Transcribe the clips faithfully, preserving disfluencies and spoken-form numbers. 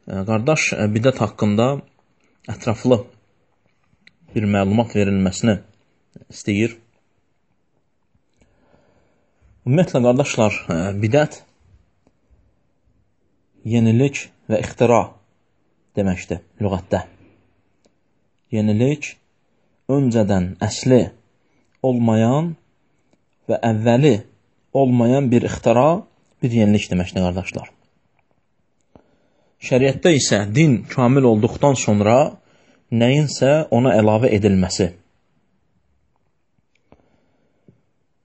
Qardaş, bidət haqqında ətraflı bir məlumat verilməsini istəyir. Ümumiyyətlə, qardaşlar, bidət yenilik və ixtira deməkdir lüğətdə. Yenilik, öncədən əsli olmayan və əvvəli olmayan bir ixtira, bir yenilik deməkdir, qardaşlar. Şəriətdə isə din kamil olduqdan sonra nəyinsə ona əlavə edilməsi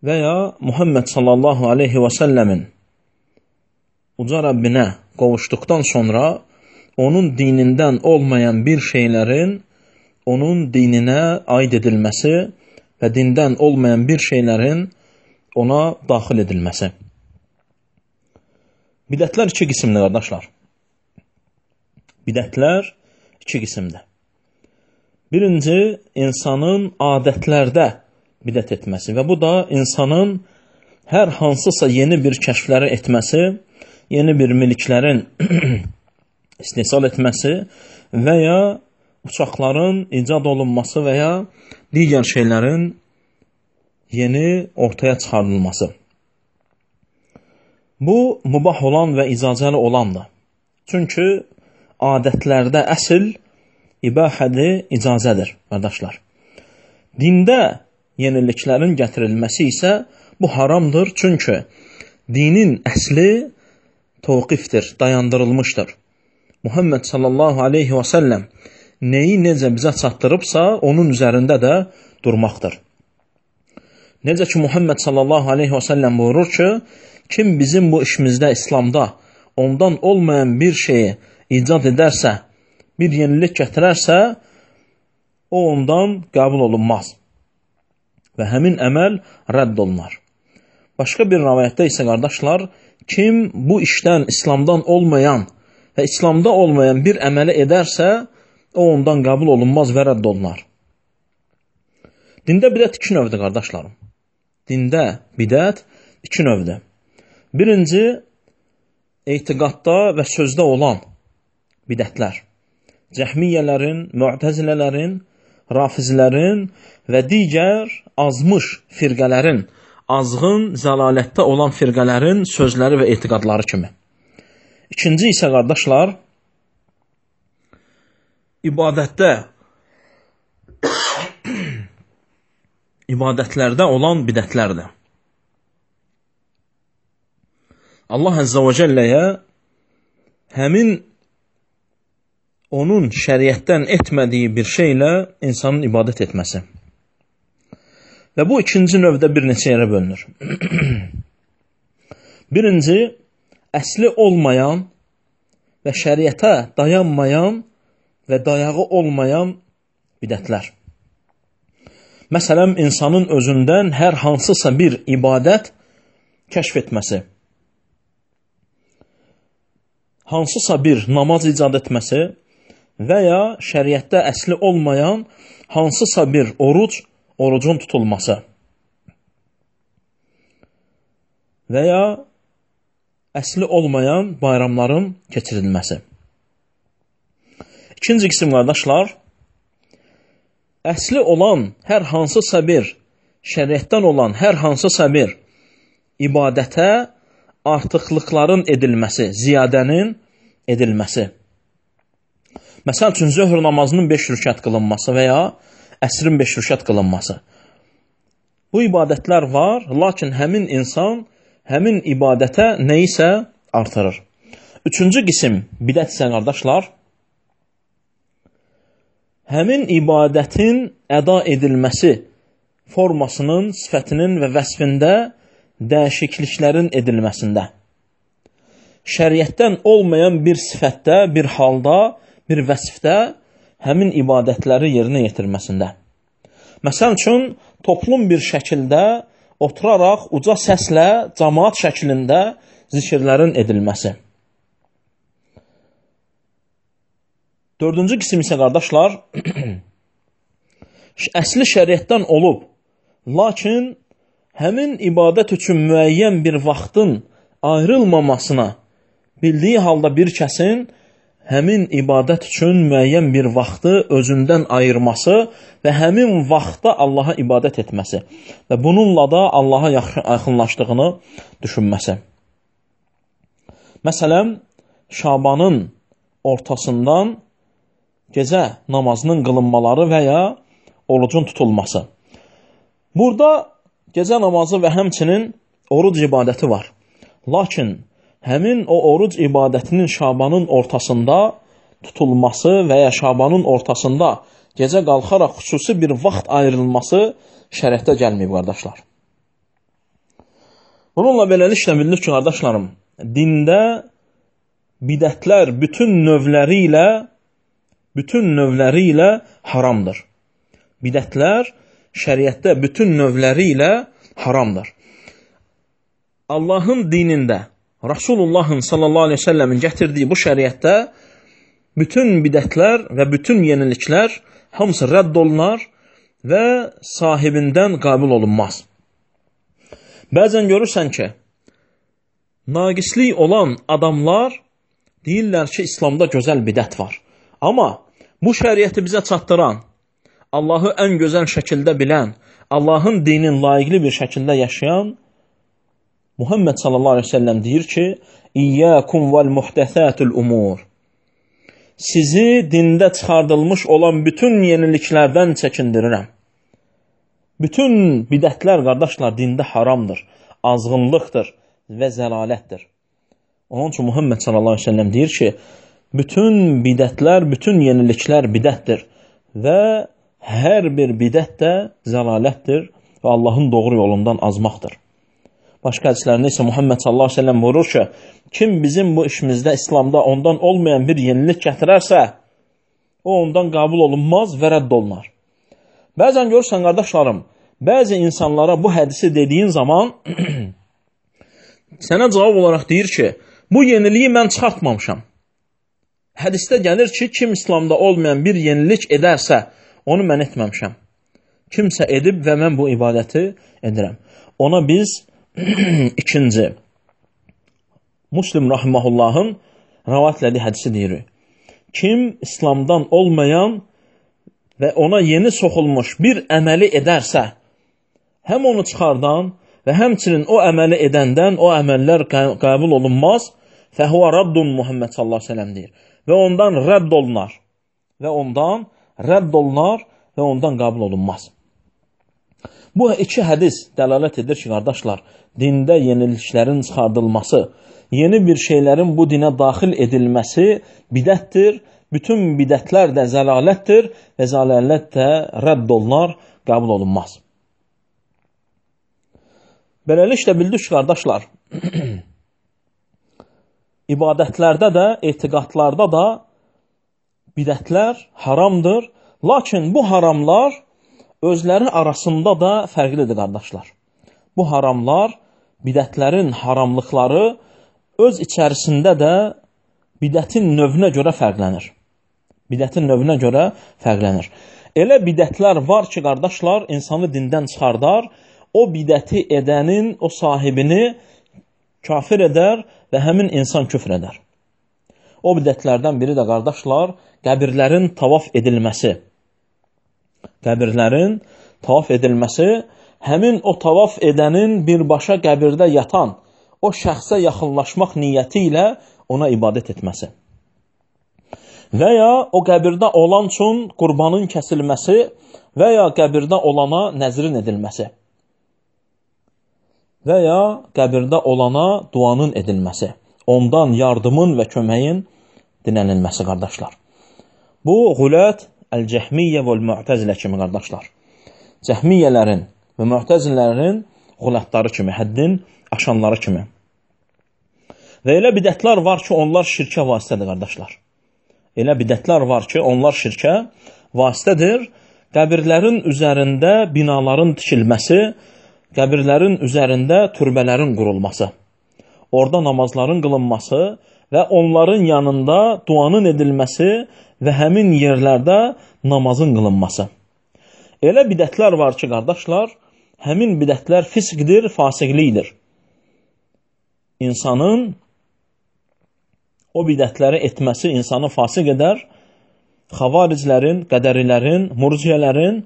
və ya Muhammed sallallahu aleyhi və səlləmin uca Rəbbinə qovuşduqdan sonra onun dinindən olmayan bir şeylərin onun dininə aid edilməsi və dindən olmayan bir şeylərin ona daxil edilməsi. Bidətlər iki qismdir, qardaşlar. Bidətlər iki qismdir. Birinci, insanın adətlərdə bidət etməsi və bu da insanın hər hansısa yeni bir kəşfləri etməsi, yeni bir miliklərin istehsal etməsi və ya uçaqların icad olunması və ya digər şeylərin yeni ortaya çıxarılması. Bu, mübah olan və icazəli olandır. Çünki adətlərdə əsl ibahədir, icazədir, qardaşlar. Dində yeniliklərin gətirilməsi isə bu haramdır, çünki dinin əsli təvqifdir, dayandırılmışdır. Muhammed sallallahu aleyhi və səlləm neyi necə bizə çatdırıbsa, onun üzərində də durmaqdır. Necə ki, Muhammed sallallahu aleyhi və səlləm buyurur ki, kim bizim bu işimizdə, İslamda ondan olmayan bir şeyi icad edərsə, bir yenilik gətirərsə, o ondan qəbul olunmaz və həmin əməl rədd olunar. Başqa bir rəvayətdə isə, qardaşlar, kim bu işdən İslamdan olmayan və İslamda olmayan bir əməli edərsə, o ondan qəbul olunmaz və rədd olunar. Dində bidət iki növdür, qardaşlarım. Dində bidət iki növdür. Birinci, etiqadda və sözdə olan bidətlər. Cəhmiyyələrin, mü'təzilələrin, rafizlərin və digər azmış firqələrin, azğın, zəlalətdə olan firqələrin sözləri və etiqadları kimi. İkinci isə, qardaşlar, ibadətdə, ibadətlərdə olan bidətlərdir. Allah Əzzə və Cəlləyə həmin onun şəriətdən etmədiyi bir şeylə insanın ibadət etməsi. Və bu ikinci növdə bir neçə yerə bölünür. Birinci, əsli olmayan və şəriətə dayanmayan və dayağı olmayan bidətlər. Məsələn, insanın özündən hər hansısa bir ibadət kəşf etməsi, hansısa bir namaz icad etməsi və ya şəriətdə əsli olmayan hansısa bir oruc, orucun tutulması və ya əsli olmayan bayramların keçirilməsi. İkinci qism, qardaşlar, əsli olan hər hansısa bir, şəriətdən olan hər hansısa bir ibadətə artıqlıqların edilməsi, ziyadənin edilməsi. Məsəl üçün, zöhr namazının beş rükət qılınması və ya əsrin beş rükət qılınması. Bu ibadətlər var, lakin həmin insan həmin ibadətə nəyisə artırır. Üçüncü qism bidət isə, qardaşlar, həmin ibadətin əda edilməsi formasının, sifətinin və vəsfində dəyişikliklərin edilməsində. Şəriətdən olmayan bir sifətdə, bir halda, bir vəsfdə həmin ibadətləri yerinə yetirməsində. Məsəl üçün, toplum bir şəkildə oturaraq uca səslə cəmaat şəklində zikirlərin edilməsi. Dördüncü qism isə, qardaşlar, əsli şəriətdən olub, lakin həmin ibadət üçün müəyyən bir vaxtın ayrılmamasına bildiyi halda bir kəsin həmin ibadət üçün müəyyən bir vaxtı özündən ayırması və həmin vaxtda Allaha ibadət etməsi və bununla da Allaha yaxınlaşdığını düşünməsi. Məsələn, Şabanın ortasından gecə namazının qılınmaları və ya orucun tutulması. Burada gecə namazı və həmçinin oruc ibadəti var. Lakin həmin o oruc ibadətinin Şabanın ortasında tutulması və ya Şabanın ortasında gecə qalxaraq xüsusi bir vaxt ayrılması şərəfdə gəlməyib, qardaşlar. Bununla beləliklə bildik ki, qardaşlarım, dində bidətlər bütün növləri ilə bütün növləri ilə haramdır. Bidətlər şəriətdə bütün növləri ilə haramdır. Allahın dinində, Rasulullahın sallallahu aleyhi ve sellemin gətirdiyi bu şəriətdə bütün bidətlər və bütün yeniliklər hamısı rədd olunar və sahibindən qəbul olunmaz. Bəzən görürsən ki, naqislik olan adamlar deyirlər ki, İslamda gözəl bidət var. Amma bu şəriəti bizə çatdıran, Allahı ən gözəl şəkildə bilən, Allahın dinin layiqli bir şəkildə yaşayan Muhammed sallallahu aleyhi ve sellem deyir ki, İyyâkum vel muhdesâtul umur. Sizi dində çıxardılmış olan bütün yeniliklərdən çəkindirirəm. Bütün bidətlər, qardaşlar, dində haramdır, azğınlıqdır və zəlalətdir. Onun üçün Muhammed sallallahu aleyhi ve sellem deyir ki, bütün bidətlər, bütün yeniliklər bidətdir və hər bir bidət də zəlalətdir və Allahın doğru yolundan azmaqdır. Başqa hədislərində isə Muhammed sallallahu aleyhi ve sellem buyurur ki, kim bizim bu işimizdə, İslamda ondan olmayan bir yenilik gətirərsə, o ondan qəbul olunmaz və rədd olunar. Bəzən görürsən, qardaşlarım, bəzi insanlara bu hədisi dediyin zaman sənə cavab olaraq deyir ki, bu yeniliyi mən çıxartmamışam. Hədisdə gəlir ki, kim İslamda olmayan bir yenilik edərsə, onu mən etməmişəm. Kimsə edib və mən bu ibadəti edirəm. Ona biz ikinci Müslim rahimahullahın rəvayətlədiyi hədisi deyirik. Kim İslamdan olmayan və ona yeni soxulmuş bir əməli edərsə, həm onu çıxardan və həmçinin o əməli edəndən o əməllər qəbul olunmaz, fəhvə raddun Muhammed sallallahu aleyhi ve sellem deyir. Və ondan rədd olunar. Və ondan rədd olunar və ondan qəbul olunmaz. Bu iki hədis dəlalət edir ki, qardaşlar, dində yeniliklərin çıxardılması, yeni bir şeylərin bu dinə daxil edilməsi bidətdir. Bütün bidətlər də zəlalətdir və zəlalət də rədd olunar, qəbul olunmaz. Beləliklə bildik ki, qardaşlar, ibadətlərdə də, etiqadlarda da bidətlər haramdır. Lakin bu haramlar özləri arasında da fərqlidir, qardaşlar. Bu haramlar, bidətlərin haramlıqları öz içərisində də bidətin növünə görə fərqlənir. Bidətin növünə görə fərqlənir. Elə bidətlər var ki, qardaşlar, insanı dindən çıxardar, o bidəti edənin, o sahibini kafir edər və həmin insan küfr edər. O bidətlərdən biri də, qardaşlar, qəbirlərin tavaf edilməsi. Qəbirlərin tavaf edilməsi, həmin o tavaf edənin birbaşa qəbirdə yatan, o şəxsə yaxınlaşmaq niyyəti ilə ona ibadət etməsi. Və ya o qəbirdə olan üçün qurbanın kəsilməsi və ya qəbirdə olana nəzrin edilməsi. Və ya qəbirdə olana duanın edilməsi. Ondan yardımın və köməyin dinənilməsi, qardaşlar. Bu, Gulət, Əl-Cəhmiyyə və Mu'təzilə kimi, qardaşlar. Cəhmiyyələrin və Mu'təzilərin qulətləri kimi, həddin aşanları kimi. Və elə bidətlər var ki, onlar şirkə vasitədir, qardaşlar. Elə bidətlər var ki, onlar şirkə vasitədir. Qəbirlərin üzərində binaların tikilməsi, qəbirlərin üzərində türbələrin qurulması, orada namazların qılınması və onların yanında duanın edilməsi və həmin yerlərdə namazın qılınması. Elə bidətlər var ki, qardaşlar, həmin bidətlər fisqdir, fasiqlikdir. İnsanın o bidətləri etməsi insanı fasiq edər. Xavariclərin, qədərilərin, murciyələrin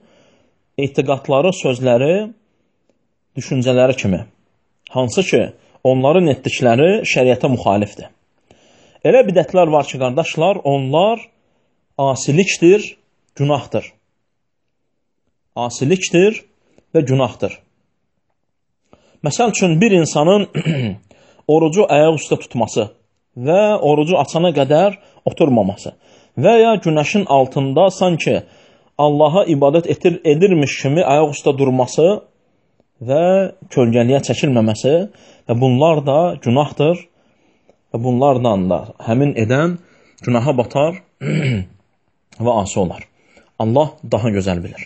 etiqadları, sözləri, düşüncələri kimi. Hansı ki, onların etdikləri şəriətə müxalifdir. Elə bidətlər var ki, qardaşlar, onlar asilikdir, günahdır. Asilikdir və günahdır. Məsəl üçün, bir insanın orucu ayaq üstə tutması və orucu açana qədər oturmaması və ya günəşin altında sanki Allaha ibadət edir, edirmiş kimi ayaq üstə durması və kölgəliyə çəkilməməsi və bunlar da günahdır və bunlardan da həmin edən günaha batar və asi olar. Allah daha gözəl bilir.